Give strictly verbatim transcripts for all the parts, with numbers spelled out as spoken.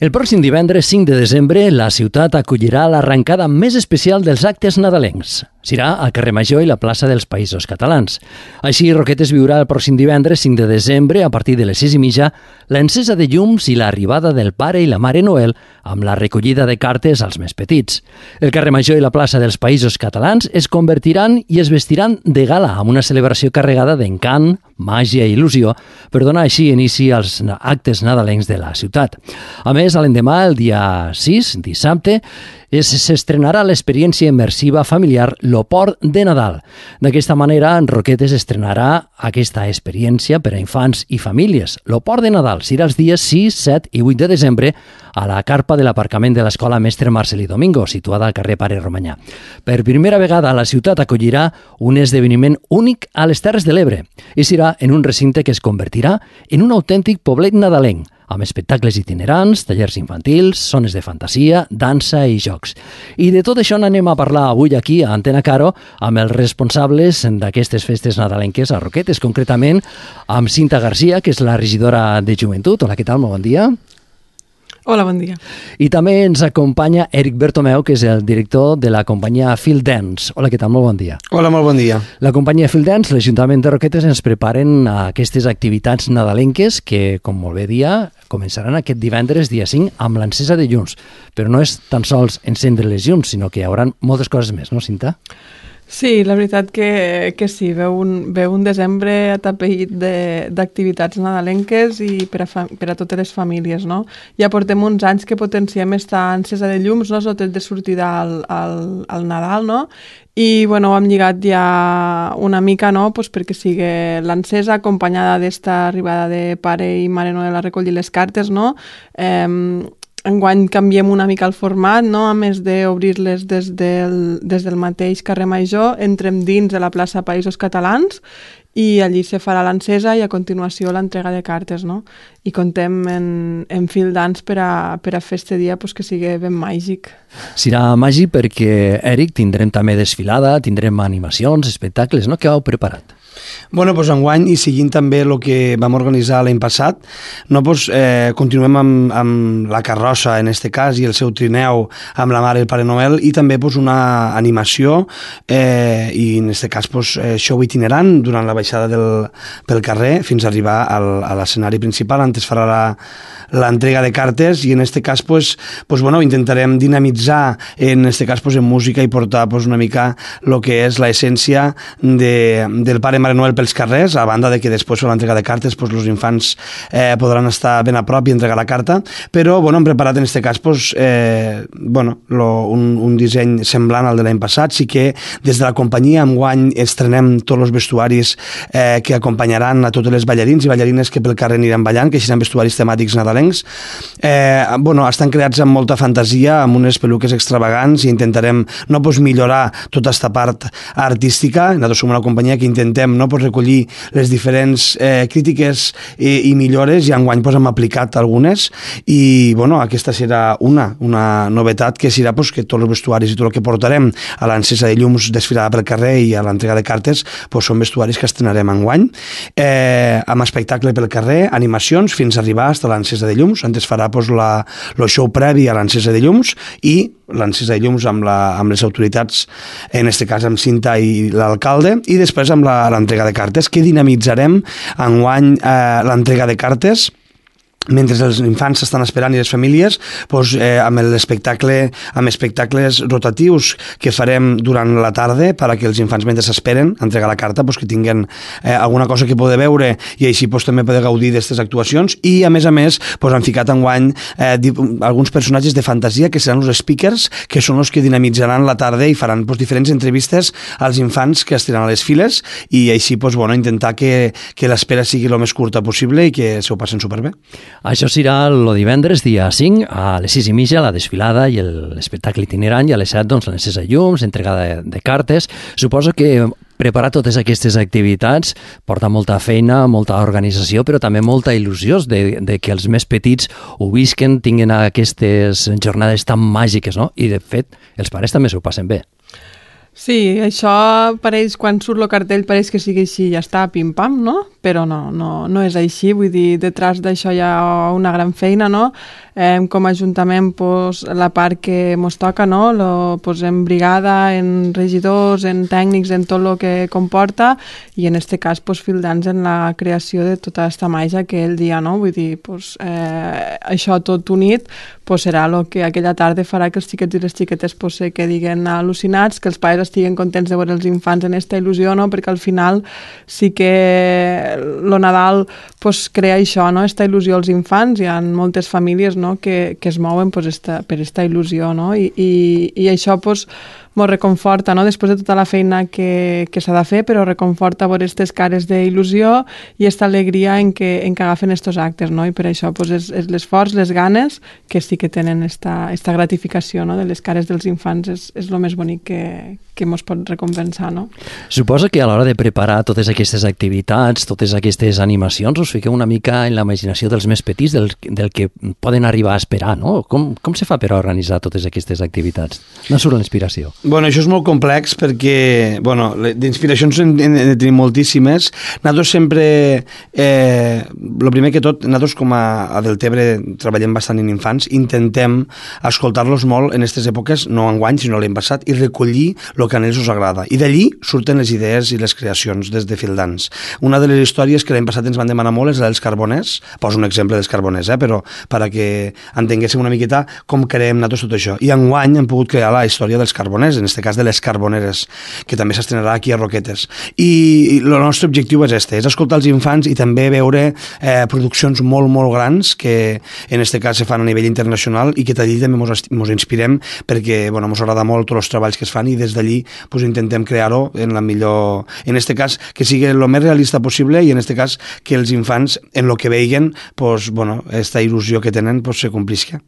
El pròxim divendres cinc de desembre, la ciutat acollirà l'arrencada més especial dels actes nadalencs. Serà al carrer Major i la plaça dels Països Catalans. Així, Roquetes viurà el pròxim divendres cinc de desembre, a partir de les sis i mitja, l'encesa de llums i l'arribada del Pare i la Mare Noel amb la recollida de cartes als més petits. El carrer Major i la plaça dels Països Catalans es convertiran i es vestiran de gala amb una celebració carregada d'encant, màgia i il·lusió per donar així inici als actes nadalencs de la ciutat. A més, a l'endemà, el dia sis, dissabte, s'estrenarà l'experiència immersiva familiar Lo Port de Nadal. D'aquesta manera, en Roquetes estrenarà aquesta experiència per a infants i famílies. Lo Port de Nadal serà els dies sis, set i vuit de desembre a la carpa de l'aparcament de l'Escola Mestre Marcelí Domingo, situada al carrer Pare Romanyà. Per primera vegada, la ciutat acollirà un esdeveniment únic a les Terres de l'Ebre i serà en un recinte que es convertirà en un autèntic poblet nadalenc, amb espectacles itinerants, tallers infantils, zones de fantasia, dansa i jocs. I de tot això n'anem a parlar avui aquí a Antena Caro amb els responsables d'aquestes festes nadalenques a Roquetes, concretament amb Cinta Garcia, que és la regidora de Joventut. Hola, què tal? Molt bon dia. Hola, bon dia. I també ens acompanya Eric Bertomeu, que és el director de la companyia Field Dance. Hola, què tal? Molt bon dia. Hola, molt bon dia. La companyia Field Dance, l'Ajuntament de Roquetes, ens preparen aquestes activitats nadalenques que, com molt bé dia, començaran aquest divendres, dia cinc, amb l'encesa de llums. Però no és tan sols encendre les llums, sinó que hi haurà moltes coses més, no, Cinta? Sí, la veritat que, que sí, veu un, veu un desembre atapeït d'activitats nadalenques i per a, fa, per a totes les famílies, no? Ja portem uns anys que potenciem esta encesa de llums, no?, sobretot de sortida al, al, al Nadal, no? I, bueno, ho hem lligat ja una mica, no?, pues perquè sigui l'encesa acompanyada d'esta arribada de Pare i Mare Noel a recollir les cartes, no? Eh, Enguany canviem una mica el format, no? A més d'obrir-les des, del, des del mateix carrer Major, entrem dins de la plaça Països Catalans i allí se farà l'encesa i a continuació l'entrega de cartes, no? I contem en, en Field Dance per a, per a fer este dia pues, que sigui ben màgic. Serà màgic perquè, Eric, tindrem també desfilada, tindrem animacions, espectacles, no? Què heu preparat? Bueno, doncs enguany, i seguint també el que vam organitzar l'any passat, no, doncs, eh, continuem amb, amb la carrossa, en este cas, i el seu trineu amb la Mare i el Pare Noel, i també doncs, una animació, eh, i en este cas doncs, show itinerant durant la baixada del, pel carrer fins a arribar al, a l'escenari principal. Antes farà la l'entrega de cartes i en este cas pues, pues, bueno, intentarem dinamitzar en este cas pues, en música i portar pues, una mica el que és l'essència de, del Pare Mare Noel pels carrers, a banda de que després de l'entrega de cartes pues, els infants eh, podran estar ben a prop i entregar la carta, però bueno, hem preparat en este cas pues, eh, bueno, lo, un, un disseny semblant al de l'any passat. Sí que des de la companyia enguany estrenem tots els vestuaris eh, que acompanyaran a totes les ballarins i ballarines que pel carrer aniran ballant, que seran vestuaris temàtics nadalencs. Eh, bueno, estan creats amb molta fantasia, amb unes peluques extravagants i intentarem no, pues, millorar tota aquesta part artística. Nosaltres som una companyia que intentem no, pues, recollir les diferents eh, crítiques i, i millores i enguany pues, hem aplicat algunes i bueno, aquesta serà una, una novetat que serà pues, que tots els vestuaris i tot el que portarem a l'encesa de llums desfilada pel carrer i a l'entrega de cartes pues, són vestuaris que estrenarem enguany eh, amb espectacle pel carrer, animacions fins a arribar fins a l'encesa de llums. Antes farà pues, la, el show previ a l'encesa de llums i l'encesa de llums amb, la, amb les autoritats, en este cas amb Cinta i l'alcalde, i després amb l'entrega de cartes, que dinamitzarem enguany eh, l'entrega de cartes mentre els infants s'estan esperant i les famílies doncs, eh, amb l'espectacle amb espectacles rotatius que farem durant la tarda perquè els infants mentre s'esperen a entregar la carta doncs, que tinguen eh, alguna cosa que poder veure i així doncs, també poder gaudir d'aquestes actuacions i a més a més doncs, han ficat enguany eh, alguns personatges de fantasia que seran els speakers que són els que dinamitzaran la tarda i faran doncs, diferents entrevistes als infants que estiran a les files i així doncs, bueno, intentar que, que l'espera sigui el més curta possible i que s'ho passen superbé. Això serà el divendres, dia cinc, a les sis i mitja, la desfilada i l'espectacle itinerant, i a les set, doncs, l'encesa de llums, entregada de, de cartes. Suposo que preparar totes aquestes activitats porta molta feina, molta organització, però també molta il·lusió de, de que els més petits ho visquen, tinguin aquestes jornades tan màgiques, no? I, de fet, els pares també s'ho passen bé. Sí, això pareix, quan surt el cartell, pareix que sigui així, ja està, pim-pam, no? però no, no, no és així, vull dir, detrás d'això hi ha una gran feina, no? Eh, com a Ajuntament, pues, la part que ens toca, no? Lo, pues, en brigada, en regidors, en tècnics, en tot el que comporta, i en aquest cas, pues, Fildans en la creació de tota aquesta màgia que ell dia, no? Vull dir, pues, eh, això tot unit, pues, serà el que aquella tarda farà que els xiquets i les xiquetes pues, se quedin al·lucinats, que els pares estiguen contents de veure els infants en aquesta il·lusió, no? Perquè al final sí que el Nadal pues, crea això, no? Esta il·lusió als infants, hi ha moltes famílies, no? que, que es mouen pues, esta, per aquesta il·lusió, no? I, i, i això pues, ens reconforta, no? Després de tota la feina que, que s'ha de fer, però reconforta veure aquestes cares d'il·lusió i aquesta alegria en què, en què agafen aquests actes, no? I per això pues, és, és l'esforç, les ganes, que sí que tenen esta, esta gratificació, no? De les cares dels infants, és, és el més bonic que, que ens pot recompensar, no? Suposo que a l'hora de preparar totes aquestes activitats, totes aquestes animacions, us fiqueu una mica en la imaginació dels més petits, del, del que poden arribar a esperar, no? Com, com se fa per organitzar totes aquestes activitats? No surt l'inspiració. Bueno, això és molt complex perquè, bueno, d'inspiracions en, en, en tenim moltíssimes. Nosaltres sempre, eh, el primer que tot, nosaltres com a, a Deltebre treballem bastant en infants, intentem escoltar-los molt en aquestes èpoques, no enguany, sinó l'any passat, i recollir el que a ells us agrada. I d'allí surten les idees i les creacions des de Fildans. Una de les històries que l'any passat ens van demanar molt és la dels carboners, poso un exemple dels carboners, eh, però per a que entenguéssim una miqueta com creem nosaltres tot això. I enguany hem pogut crear la història dels carboners, en aquest cas de les carboneres, que també s'estrenarà aquí a Roquetes. I el nostre objectiu és este, és escoltar els infants i també veure eh, produccions molt, molt grans que en aquest cas se fan a nivell internacional i que d'allí també ens inspirem perquè bueno, ens agrada molt tots els treballs que es fan i des d'allí pues, intentem crear-ho en la millor... En aquest cas, que sigui el més realista possible i en aquest cas que els infants en el que veiguen, pues, bueno, esta il·lusió que tenen pues, se complisca.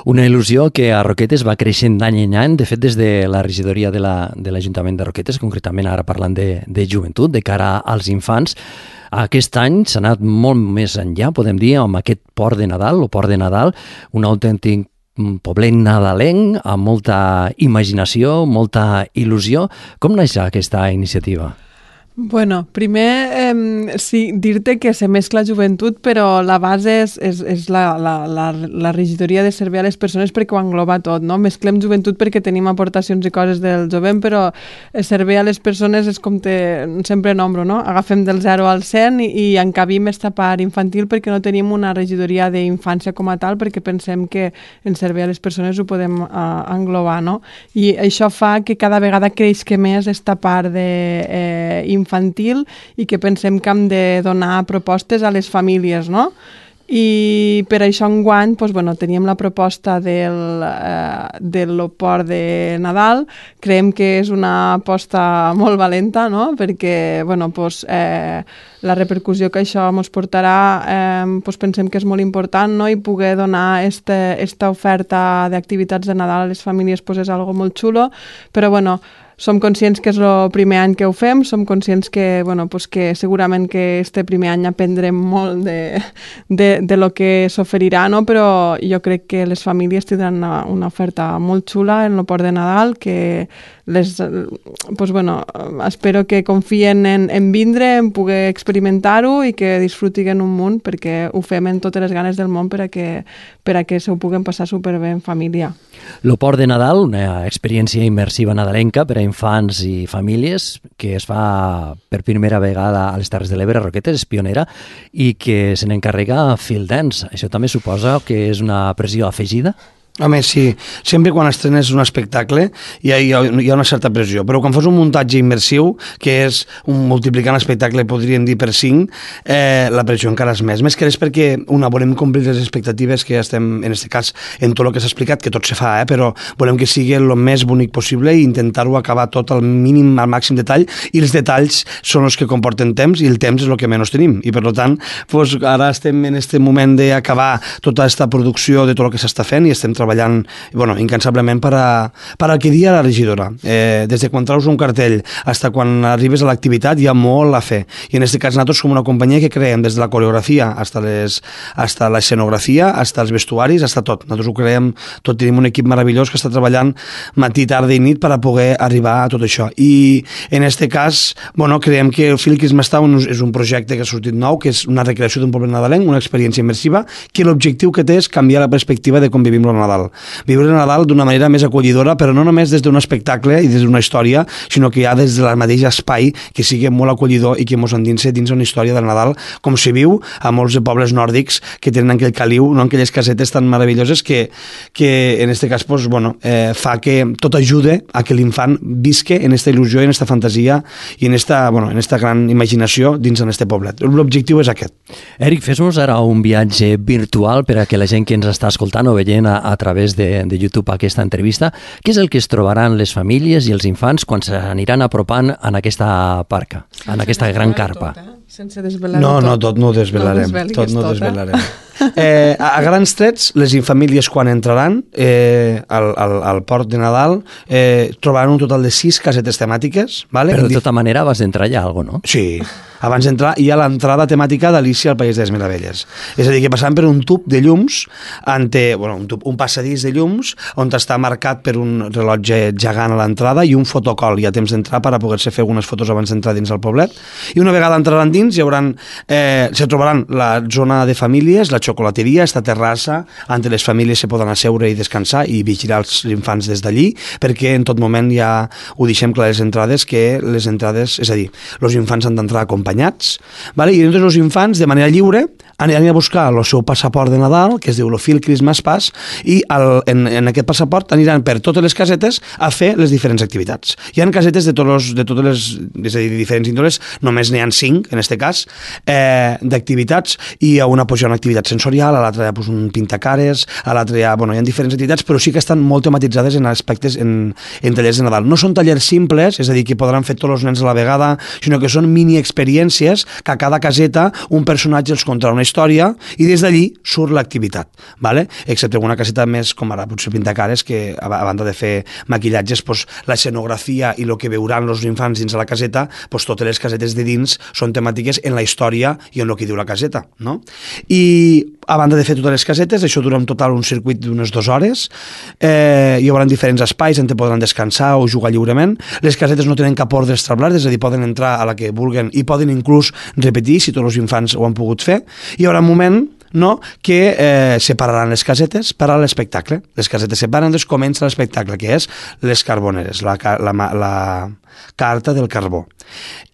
Una il·lusió que a Roquetes va creixent d'any en any, de fet des de la regidoria de l'Ajuntament de, de Roquetes, concretament ara parlant de, de joventut, de cara als infants. Aquest any s'ha anat molt més enllà, podem dir, amb aquest port de Nadal, o port de Nadal, un autèntic poblet nadalenc, amb molta imaginació, molta il·lusió. Com naix aquesta iniciativa? Bueno, primer eh, sí, dir-te que se mescla joventut, però la base és, és, és la, la, la, la regidoria de servei a les persones perquè ho engloba tot, no? Mesclem joventut perquè tenim aportacions i coses del jovent, però servei a les persones és com te, sempre nombro, no? Agafem del zero al cent i, i encabim esta part infantil perquè no tenim una regidoria d'infància com a tal, perquè pensem que en servei a les persones ho podem uh, englobar, no? I això fa que cada vegada creixi més esta part de eh, infantil i que pensem que hem de donar propostes a les famílies, no? I per això enguany doncs, bueno, teníem la proposta del, eh, del port de Nadal. Creiem que és una aposta molt valenta, no? Perquè bueno, doncs, eh, la repercussió que això ens portarà eh, doncs pensem que és molt important, no? I poder donar esta, esta oferta d'activitats de Nadal a les famílies doncs, és algo molt xulo, però bueno, som conscients que és el primer any que ho fem, som conscients que, bueno, pues que segurament que este primer any aprendrem molt de, de, de lo que s'oferirà, no? Però jo crec que les famílies tindran una, una oferta molt xula en el port de Nadal, que les, pues bueno, espero que confien en, en vindre, en poder experimentar-ho i que disfrutin un munt, perquè ho fem en totes les ganes del món per a que, per a que se ho puguen passar superbé en família. El port de Nadal, una experiència immersiva nadalenca per a infants i famílies que es fa per primera vegada a les Terres de l'Ebre, a Roquetes, és pionera, i que se n'encarrega Fildans. Això també suposa que és una pressió afegida? Home, sí. Sempre quan estrenes un espectacle hi ha, hi ha una certa pressió, però quan fas un muntatge immersiu, que és un multiplicant l'espectacle, podríem dir per cinc, eh, la pressió encara és més. Més que res perquè, una, volem complir les expectatives que estem, en aquest cas, en tot el que s'ha explicat, que tot se fa, eh, però volem que sigui el més bonic possible i intentar-ho acabar tot al mínim, al màxim detall, i els detalls són els que comporten temps, i el temps és el que menys tenim. I, per tant, doncs, ara estem en aquest moment d'acabar tota aquesta producció de tot el que s'està fent i estem treballant treballant bueno, incansablement per, a, per al que dia la regidora. Eh, des de quan traus un cartell fins quan arribes a l'activitat hi ha molt a fer. I en aquest cas nosaltres som una companyia que creem des de la coreografia fins a l'escenografia, fins als vestuaris, fins a tot. Nosaltres ho creem tot, tenim un equip meravellós que està treballant matí, tarda i nit per a poder arribar a tot això. I en aquest cas, bueno, creiem que el Feel Christmas Town és un projecte que ha sortit nou, que és una recreació d'un poble nadalenc, una experiència immersiva, que l'objectiu que té és canviar la perspectiva de com vivim el Nadal. Viure el Nadal d'una manera més acollidora, però no només des d'un espectacle i des d'una història, sinó que ja des del mateix espai que sigui molt acollidor i que mos endinse dins una història del Nadal, com se viu a molts de pobles nòrdics que tenen aquell caliu, no? Aquelles casetes tan meravelloses que, que en aquest cas pues, bueno, eh, fa que tot ajude a que l'infant visque en aquesta il·lusió, en aquesta fantasia i en esta, bueno, en esta gran imaginació dins en este poblet. L'objectiu és aquest. Eric, fes-nos ara un viatge virtual per a que la gent que ens està escoltant o veient a, a través de, de YouTube aquesta entrevista, què és el que es trobaran les famílies i els infants quan s'aniran apropant en aquesta parca, en aquesta gran carpa? Tot, eh? Sense desvelar no, tot. No, tot no ho desvelarem. No tot no ho desvelarem. Eh, a, a grans trets, les famílies quan entraran eh, al, al, al port de Nadal eh, trobaran un total de sis casetes temàtiques. Vale? Però de tota manera vas entrar ja algo, no? Sí. Abans d'entrar hi ha l'entrada temàtica d'Alícia al País de les Meravelles. És a dir, que passant per un tub de llums, ante, bueno, un, tub, un passadís de llums, on està marcat per un rellotge gegant a l'entrada i un fotocol. Hi ha temps d'entrar per a poder-se fer algunes fotos abans d'entrar dins el poblet. I una vegada entraran dins, hi hauran, eh, se trobaran la zona de famílies, la xocolateria, esta terrassa, on les famílies se poden asseure i descansar i vigilar els infants des d'allí, perquè en tot moment ja ho deixem clar a les entrades, que les entrades, és a dir, els infants han d'entrar acompanyats, vale? I llavors els infants, de manera lliure, aniran a buscar el seu passaport de Nadal, que es diu el Feel Christmas Pass, i el, en, en aquest passaport aniran per totes les casetes a fer les diferents activitats. Hi ha casetes de, tots, de totes les, és a dir, diferents índoles, només n'hi ha cinc, en aquest cas, eh, d'activitats, i a una pues, hi ha una activitat sensorial, a l'altra hi ha pues, un pintacares, a l'altra hi ha, bueno, hi ha diferents activitats, però sí que estan molt tematitzades en aspectes, en, en tallers de Nadal. No són tallers simples, és a dir, que podran fer tots els nens a la vegada, sinó que són mini-experiències que a cada caseta un personatge els contarà una història i des d'allí surt l'activitat, vale? Excepte una caseta més com ara potser pintacares, que a banda de fer maquillatges, pues, l'escenografia i el que veuran els infants dins de la caseta, pues, totes les casetes de dins són temàtiques en la història i en el que diu la caseta, no? I a banda de fer totes les casetes, això dura en total un circuit d'unes dues hores, eh, hi haurà diferents espais on podran descansar o jugar lliurement. Les casetes no tenen cap ordre establert, és a dir, poden entrar a la que vulguen i poden inclús repetir si tots els infants ho han pogut fer. Hi haurà un moment no, que eh, separaran les casetes per a l'espectacle. Les casetes separen, doncs comença l'espectacle, que és les carboneres, la, la, la carta del carbó.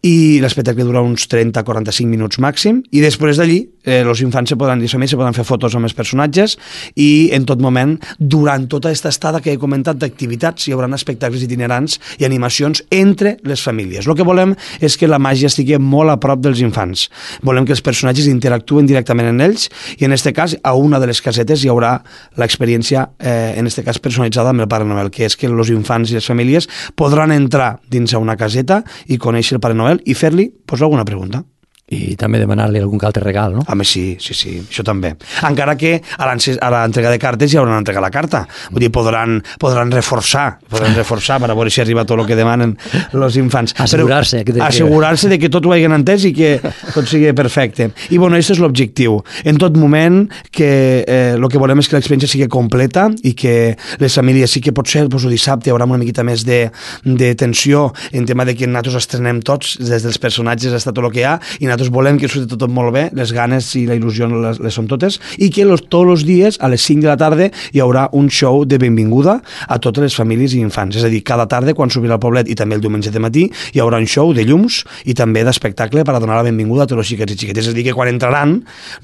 I l'espectacle dura uns trenta a quaranta-cinc minuts màxim, i després d'allí eh, els infants se poden, se poden fer fotos amb els personatges, i en tot moment, durant tota aquesta estada que he comentat d'activitats, hi haurà espectacles itinerants i animacions entre les famílies. El que volem és que la màgia estigui molt a prop dels infants. Volem que els personatges interactuen directament en ells, i en aquest cas, a una de les casetes hi haurà l'experiència, eh, en aquest cas personalitzada amb el Pare Noel, que és que els infants i les famílies podran entrar dins a una caseta i conèixer el Pare Noel i fer-li pues, alguna pregunta. I també demanar-li algun altre regal, no? Home, sí, sí, sí, això també. Encara que a l'entrega de cartes hi haurà una entrega a la carta. Vull dir, podran, podran reforçar, podran reforçar per a veure si arriba tot el que demanen els infants. Assegurar-se. Que... Assegurar-se de que tot ho hagin entès i que tot sigui perfecte. I, bueno, aquest és l'objectiu. En tot moment, que eh, el que volem és que l'experiència sigui completa i que les famílies sí que pot ser, doncs, el dissabte hi haurà una miqueta més de, de tensió en tema de que nosaltres estrenem tots, des dels personatges hasta tot el que hi ha, i nosaltres volem que surti tot molt bé, les ganes i la il·lusió les, les són totes, i que los, tots els dies a les cinc de la tarda hi haurà un show de benvinguda a totes les famílies i infants. És a dir, cada tarda quan s'obrirà el poblet i també el diumenge de matí hi haurà un show de llums i també d'espectacle per a donar la benvinguda a tots els xiquets i xiquetes. És a dir, que quan entraran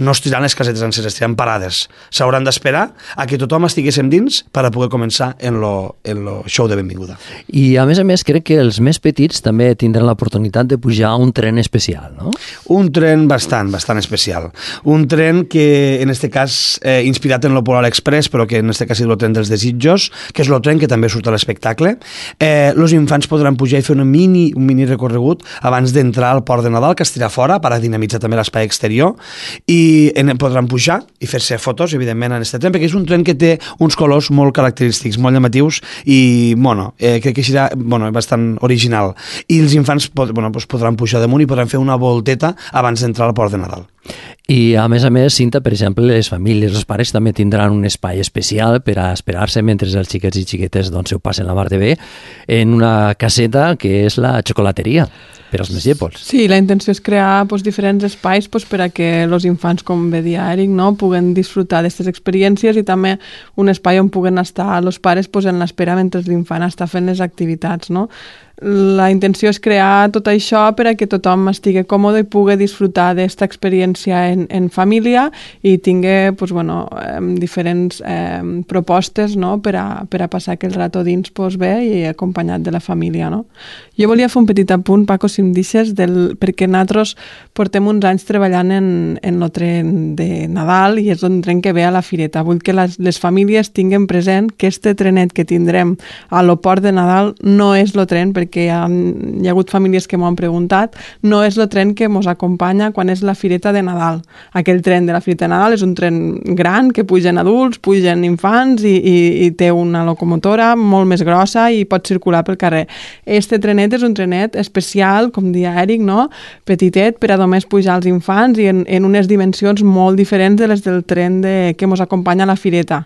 no es tiraran les casetes senceres, estaran parades. S'hauran d'esperar a que tothom estiguéssim dins per a poder començar en lo, en lo show de benvinguda. I a més a més crec que els més petits també tindran l'oportunitat de pujar a un tren especial, no? Un tren bastant, bastant especial. Un tren que, en este cas, eh, inspirat en lo Polar Express, però que en este cas és el tren dels desitjos, que és el tren que també surt a l'espectacle. Eh, los infants podran pujar i fer una mini, un mini recorregut abans d'entrar al Port de Nadal, que estirà fora, per a dinamitzar també l'espai exterior, i en, podran pujar i fer-se fotos, evidentment, en aquest tren, perquè és un tren que té uns colors molt característics, molt llamatius, i, bueno, eh, crec que serà, bueno, bastant original. I els infants pod, bueno, pues podran pujar damunt i podran fer una volteta abans d'entrar al Port de Nadal. I, a més a més, Cinta, per exemple, les famílies, els pares també tindran un espai especial per a esperar-se mentre els xiquets i xiquetes doncs, ho passen la mar de bé en una caseta que és la xocolateria per als més llépols. Sí, la intenció és crear pues, diferents espais pues, per a que els infants, com bé dia Eric, no, puguen disfrutar d'aquestes experiències i també un espai on puguen estar els pares pues, en l'espera mentre l'infant està fent les activitats, no? La intenció és crear tot això per a que tothom estigui còmode i pugui disfrutar d'aquesta experiència en, en família i tingui pues, bueno, eh, diferents eh, propostes no? per, a, per a passar aquell rato dins pues, bé i acompanyat de la família. No? Jo volia fer un petit apunt, Paco, si em deixes, del, perquè nosaltres portem uns anys treballant en, en el tren de Nadal i és un tren que ve a la fireta. Vull que les, les famílies tinguin present que este trenet que tindrem a l'Oport de Nadal no és el tren, perquè hi ha, hi ha hagut famílies que m'ho han preguntat, no és el tren que ens acompanya quan és la fireta de Nadal. Aquell tren de la fireta de Nadal és un tren gran que pugen adults, pugen infants i, i, i té una locomotora molt més grossa i pot circular pel carrer. Este trenet és un trenet especial, com dia Eric, no? Petitet, per a només pujar els infants i en, en unes dimensions molt diferents de les del tren de, que ens acompanya a la fireta.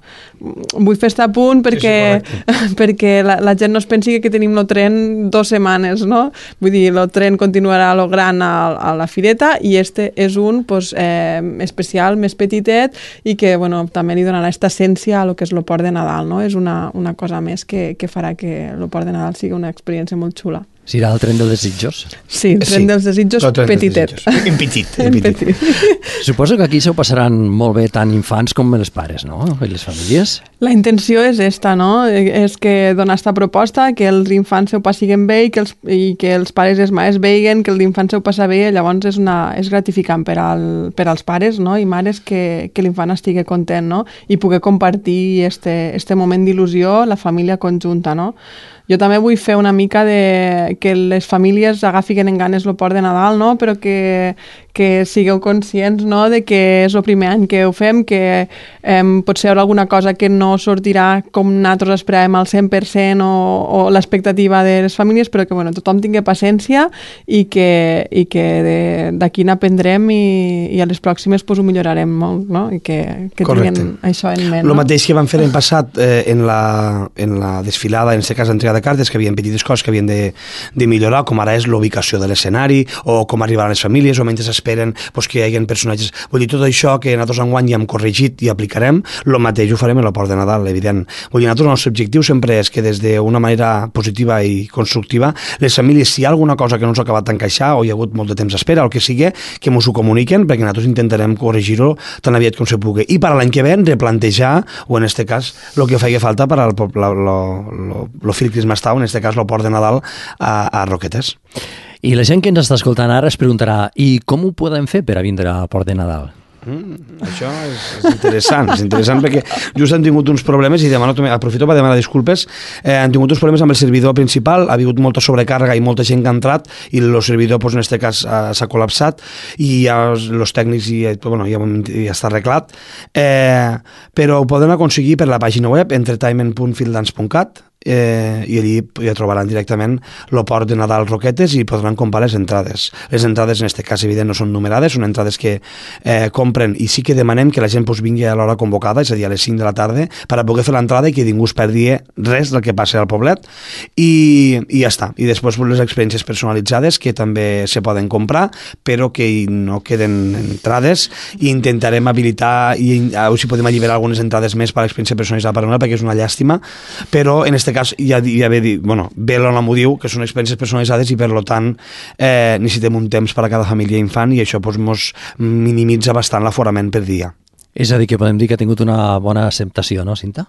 Vull fer este apunt perquè, sí, sí, perquè la, la gent no es pensi que tenim el tren dos setmanes, no? Vull dir, el tren continuarà a lo gran a, a la fireta i este és un pues, eh, especial, més petitet i que bueno, també li donarà aquesta essència a lo que és el Port de Nadal, no? És una, una cosa més que, que farà que el Port de Nadal sigui una experiència molt xula. Serà el tren dels desitjos? Sí, el tren sí, dels desitjos petitet. En petit. En petit. Suposo que aquí s'ho passaran molt bé tant infants com els pares, no? I les famílies? La intenció és esta, no? És que donar esta proposta, que els infants s'ho passiguen bé i que els, i que els pares i els mares veiguen que l'infant s'ho passa bé, llavors és, una, és gratificant per, al, per als pares no? I mares que, que l'infant estigui content, no? I poder compartir este, este moment d'il·lusió, la família conjunta, no? Jo també vull fer una mica de que les famílies agafin en ganes el Port de Nadal, no? Però que, que sigueu conscients no? De que és el primer any que ho fem, que eh, potser hi haurà alguna cosa que no sortirà com nosaltres esperàvem al cent per cent o, o l'expectativa de les famílies, però que bueno, tothom tingui paciència i que, i que d'aquí n'aprendrem i, i a les pròximes pues, ho millorarem molt, no? I que, que tinguin això en ment. El no? mateix que vam fer l'any passat eh, en, la, en la desfilada, en aquest cas entrega de cartes, que hi havia petites coses que havien de, de millorar, com ara és l'ubicació de l'escenari, o com arribar a les famílies, o mentre s'esperen pues, que hi hagi personatges. Vull dir, tot això que nosaltres enguany ja hem corregit i aplicarem, el mateix ho farem a la Port de Nadal, evident. Vull dir, nosaltres el nostre objectiu sempre és que des d'una manera positiva i constructiva, les famílies, si hi ha alguna cosa que no ens ha acabat d'encaixar, o hi ha hagut molt de temps d'espera, o el que sigui, que ens ho comuniquen, perquè nosaltres intentarem corregir-ho tan aviat com se pugui. I per a l'any que ve, replantejar, o en aquest cas, el que faci falta per al Phil Christmas Town, en aquest cas el Port de Nadal a, a Roquetes. I la gent que ens està escoltant ara es preguntarà i com ho podem fer per a vindre al Port de Nadal? Mm, això és, és interessant, és interessant perquè just hem tingut uns problemes i demano, aprofito per demanar disculpes, eh, hem tingut uns problemes amb el servidor principal, ha hagut molta sobrecàrrega i molta gent que ha entrat i el servidor pues, en aquest cas s'ha col·lapsat i ja els tècnics i, bueno, ja, ja està arreglat, eh, però ho poden aconseguir per la pàgina web entertainment punt fieldance punt cat eh, i allí ja trobaran directament el Port de Nadal Roquetes i podran comprar les entrades. Les entrades en aquest cas evident no són numerades, són entrades que eh, compren i sí que demanem que la gent pues, vingui a l'hora convocada, és a dir, a les cinc de la tarda, per a poder fer l'entrada i que ningú es perdi res del que passa al poblet i, i ja està. I després pues, les experiències personalitzades que també se poden comprar, però que no queden entrades i intentarem habilitar i a veure si podem alliberar algunes entrades més per a l'experiència personalitzada per a una, perquè és una llàstima, però en aquest cas ja, ja ve, bueno, ve l'Ona m'ho diu, que són experiències personalitzades i per tant eh, necessitem un temps per a cada família i infant i això pues, mos minimitza bastant l'aforament per dia. És a dir, que podem dir que ha tingut una bona acceptació, no, Cinta?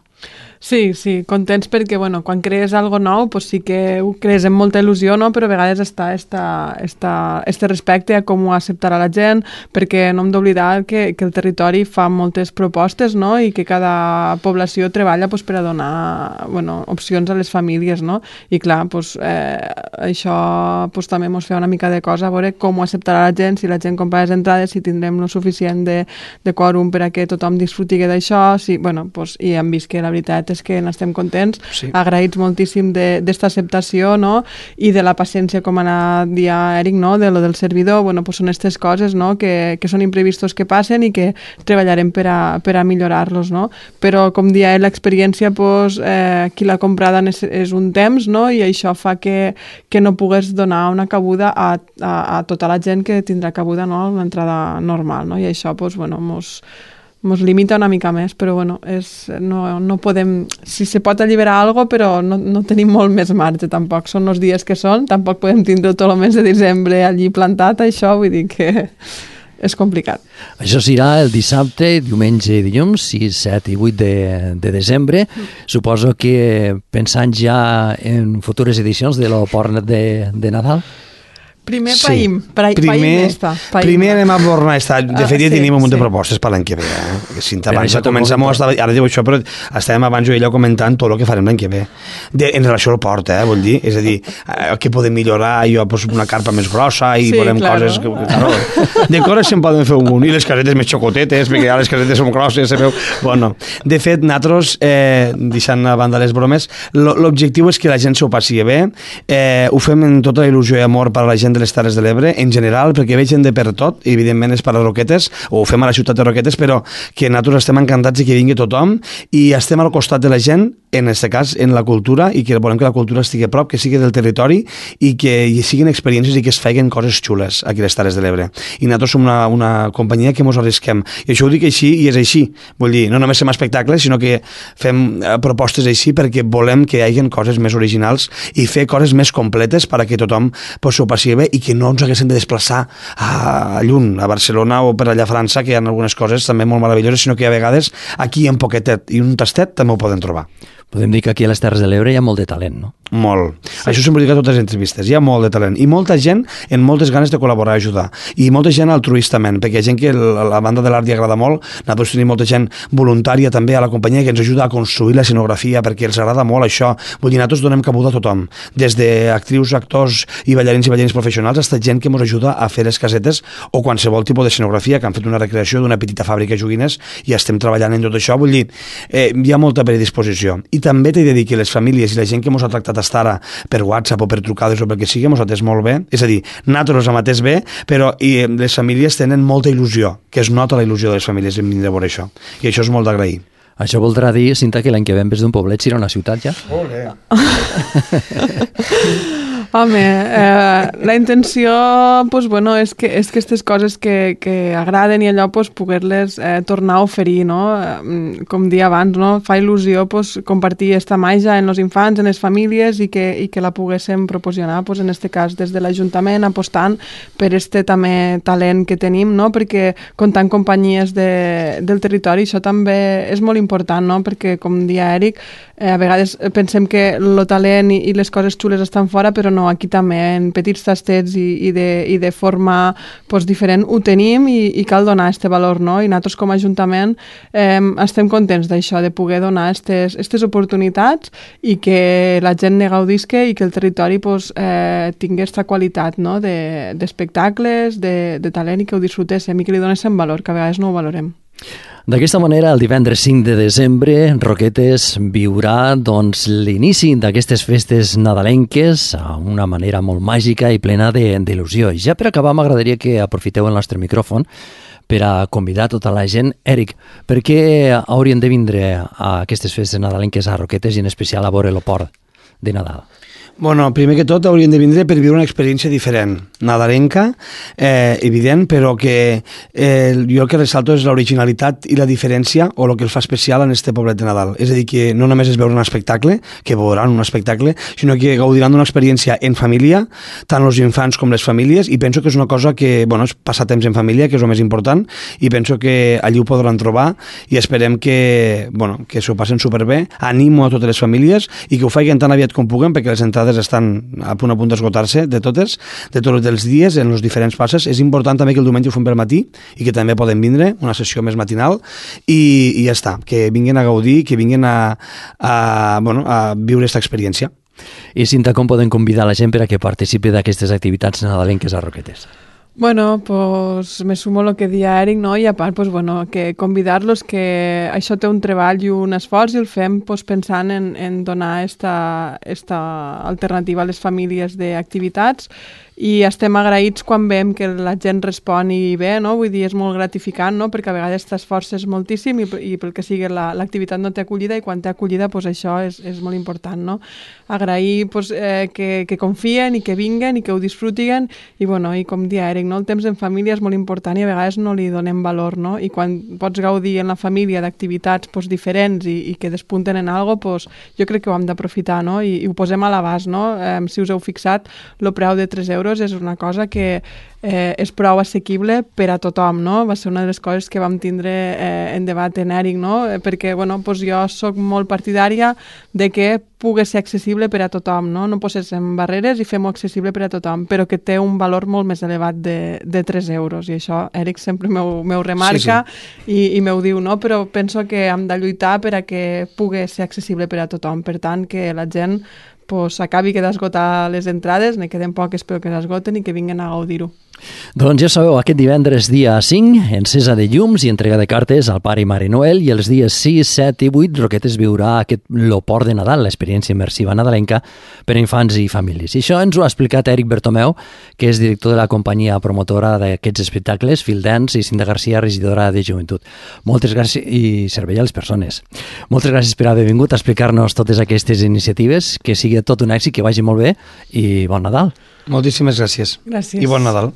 Sí, sí, contents perquè, bueno, quan crees algo nou, pues sí que ho crees amb molta il·lusió, no? Però a vegades està esta, esta, este respecte a com ho acceptarà la gent, perquè no hem d'oblidar que, que el territori fa moltes propostes, no? I que cada població treballa pues, per a donar, bueno, opcions a les famílies, no? I clar, pues, eh, això pues, també ens fa una mica de cosa, a veure com ho acceptarà la gent, si la gent compra les entrades, si tindrem lo suficient de, de quòrum per a que tothom disfruti d'això, si, bueno, pues, i hem vist que la veritat és que n'estem contents, sí. Agraïts moltíssim d'esta acceptació, no? I de la paciència, com ha dit Eric, no? De lo del servidor, bueno, pues són aquestes coses, no? Que, que són imprevistos que passen i que treballarem per a, per a millorar-los, no? Però, com dia l'experiència, pues, eh, qui l'ha comprada és, és un temps, no? I això fa que, que no pugues donar una cabuda a, a, a tota la gent que tindrà cabuda, no? Una entrada normal, no? I això, pues, bueno, mos... Ens limita una mica més, però bueno, és, no, no podem... Si se pot alliberar alguna cosa, però no, no tenim molt més marge, tampoc. Són els dies que són, tampoc podem tindre tot el mes de desembre allí plantat, això, vull dir que és complicat. Això serà el dissabte, diumenge i dilluns, sis, set i vuit de, de desembre. Mm. Suposo que pensant ja en futures edicions de l'Oport de, de Nadal? Primer sí. païm, païm, primer, païm esta. Païm. Primer anem a bornar esta. De fet, ja uh, sí, tenim un munt sí. de propostes per l'any que ve. Eh? Cinta, abans ja comencem, ara diu això, però estàvem abans jo i ella comentant tot el que farem l'any que ve. De, en relació al port, eh, vol dir? És a dir, eh, què podem millorar? Jo pues, una carpa més grossa i sí, volem claro. coses... Que, claro, de coses se'n poden fer un munt, i les casetes més xocotetes, perquè ja les casetes són grosses, sabeu? Bueno, de fet, nosaltres, eh, deixant a banda les bromes, l'objectiu és que la gent s'ho passi bé, eh, ho fem en tota la il·lusió i amor per a la gent de les Terres de l'Ebre, en general, perquè veig gent de per tot, i evidentment és per a Roquetes, o ho fem a la ciutat de Roquetes, però que nosaltres estem encantats de que vingui tothom, i estem al costat de la gent, en aquest cas, en la cultura, i que volem que la cultura estigui a prop, que sigui del territori, i que hi siguin experiències i que es feien coses xules aquí a les Terres de l'Ebre. I nosaltres som una, una companyia que mos arrisquem. I això ho dic així, i és així. Vull dir, no només fem espectacles, sinó que fem propostes així perquè volem que hi hagi coses més originals i fer coses més completes perquè tothom pues, s'ho passi bé i que no ens haguéssim de desplaçar a lluny, a Barcelona o per allà a França, que hi ha algunes coses també molt meravelloses, sinó que a vegades aquí en poquetet i un tastet també ho poden trobar. Podem dir que aquí a les Terres de l'Ebre hi ha molt de talent, no? Molt. Sí. Això sempre dic a totes les entrevistes. Hi ha molt de talent. I molta gent en moltes ganes de col·laborar i ajudar. I molta gent altruistament, perquè hi ha gent que a la banda de l'art li agrada molt. Nosaltres tenim molta gent voluntària també a la companyia que ens ajuda a construir la escenografia perquè els agrada molt això. Vull dir, nosaltres donem cabuda a tothom. Des d'actrius, actors i ballarins i ballarins professionals fins a gent que ens ajuda a fer les casetes o qualsevol tipus d'escenografia, que han fet una recreació d'una petita fàbrica de joguines i estem treballant en tot això. Vull dir, eh, hi ha molta predisposició. I també t'he de dir que les famílies i la gent que ens ha tractat estar ara per WhatsApp o per trucades o pel que sigui, ens ha atès molt bé. És a dir, nosaltres hem atès bé, però i les famílies tenen molta il·lusió, que es nota la il·lusió de les famílies en vindre a veure això. I això és molt d'agrair. Això voldrà dir, Cinta, que l'any que ve en vez d'un poblet serà una ciutat ja? Olé! Home, eh, la intenció pues, bueno, és que és que aquestes coses que, que agraden i allò pues, poder-les eh, tornar a oferir, no? Eh, com dia abans, no? Fa il·lusió pues, compartir aquesta màgia en els infants, en les famílies i que, i que la poguéssim proporcionar, pues, en aquest cas des de l'Ajuntament, apostant per este també talent que tenim, no? Perquè comptant companyies de, del territori, això també és molt important, no? Perquè com dia Eric, eh, a vegades pensem que el talent i, i les coses xules estan fora, però no, aquí també en petits tastets i, i, de, i de forma pues, diferent ho tenim i, i cal donar aquest valor, no? I nosaltres com a Ajuntament eh, estem contents d'això, de poder donar aquestes oportunitats i que la gent ne gaudisca i que el territori pues, eh, tingui aquesta qualitat, no? d'espectacles, de, de, de talent i que ho disfrutéssim i que li donéssim valor, que a vegades no ho valorem. D'aquesta manera, el divendres cinc de desembre, Roquetes viurà doncs, l'inici d'aquestes festes nadalenques a una manera molt màgica i plena d'il·lusió. Ja per acabar, m'agradaria que aprofiteu el nostre micròfon per a convidar tota la gent. Eric, per què haurien de vindre a aquestes festes nadalenques a Roquetes i en especial a veure l'Oport? de Nadal? Bueno, primer que tot haurien de vindre per viure una experiència diferent, nadalenca, eh, evident, però que eh, jo el que ressalto és l'originalitat i la diferència o el que el fa especial en este poblet de Nadal. És a dir, que no només és veure un espectacle, que veuran un espectacle, sinó que gaudiran d'una experiència en família, tant els infants com les famílies, i penso que és una cosa que, bueno, és passar temps en família, que és el més important, i penso que allí ho podran trobar, i esperem que, bueno, que s'ho passen superbé. Animo a totes les famílies i que ho facin tan aviat com puguen, perquè les entrades estan a punt a punt d'esgotar-se de totes, de tots els dies, en els diferents passes. És important també que el diumenge ho fem per matí i que també poden vindre, una sessió més matinal, i, i ja està, que vinguin a gaudir, que vinguin a, a, bueno, a viure aquesta experiència. I Cinta, com poden convidar la gent per a que participi d'aquestes activitats nadalenques a Roquetes? Bueno, pues me sumo a lo que deia Eric, no? I a part, pues, bueno, que convidar-los que això té un treball i un esforç i el fem pues, pensant en, en donar esta, esta alternativa a les famílies d'activitats, i estem agraïts quan veiem que la gent responi bé, no? Vull dir, és molt gratificant, no? Perquè a vegades t'esforces moltíssim i, i pel que sigui l'activitat no té acollida, i quan té acollida pues, això és, és molt important, no? Agrair pues, eh, que, que confien i que vinguen i que ho disfrutin, i, bueno, i com dia Eric, no? El temps en família és molt important i a vegades no li donem valor, no? I quan pots gaudir en la família d'activitats pues, diferents i, i que despunten en algo, pues, jo crec que ho hem d'aprofitar, no? I, i ho posem a l'abast, no? Eh, si us heu fixat, el preu de tres euros és una cosa que eh, és prou assequible per a tothom, no? Va ser una de les coses que vam tindre eh, en debat en Eric, no? Perquè, bueno, pues jo soc molt partidària de que pugui ser accessible per a tothom, no? No posem barreres i fem-ho accessible per a tothom, però que té un valor molt més elevat de, de tres euros, i això Eric sempre m'ho remarca, sí, sí. i, i m'ho diu, no? Però penso que hem de lluitar per a que pugui ser accessible per a tothom, per tant, que la gent pues, acabi que d'esgotar les entrades, ne queden poques però que s'esgoten i que vinguen a gaudir-ho. Doncs ja sabeu, aquest divendres dia cinc, encesa de llums i entrega de cartes al Pare i Mare Noel, i els dies sis, set i vuit Roquetes viurà aquest l'Oport de Nadal, l'experiència immersiva nadalenca per a infants i famílies. I això ens ho ha explicat Eric Bertomeu, que és director de la companyia promotora d'aquests espectacles, Field Dance, i Cinta Garcia, regidora de Joventut. Moltes gràcies, i servei a les persones. Moltes gràcies per haver vingut a explicar-nos totes aquestes iniciatives, que sigui tot un èxit, que vagi molt bé, i bon Nadal. Moltíssimes gràcies. Gràcies. I bon Nadal.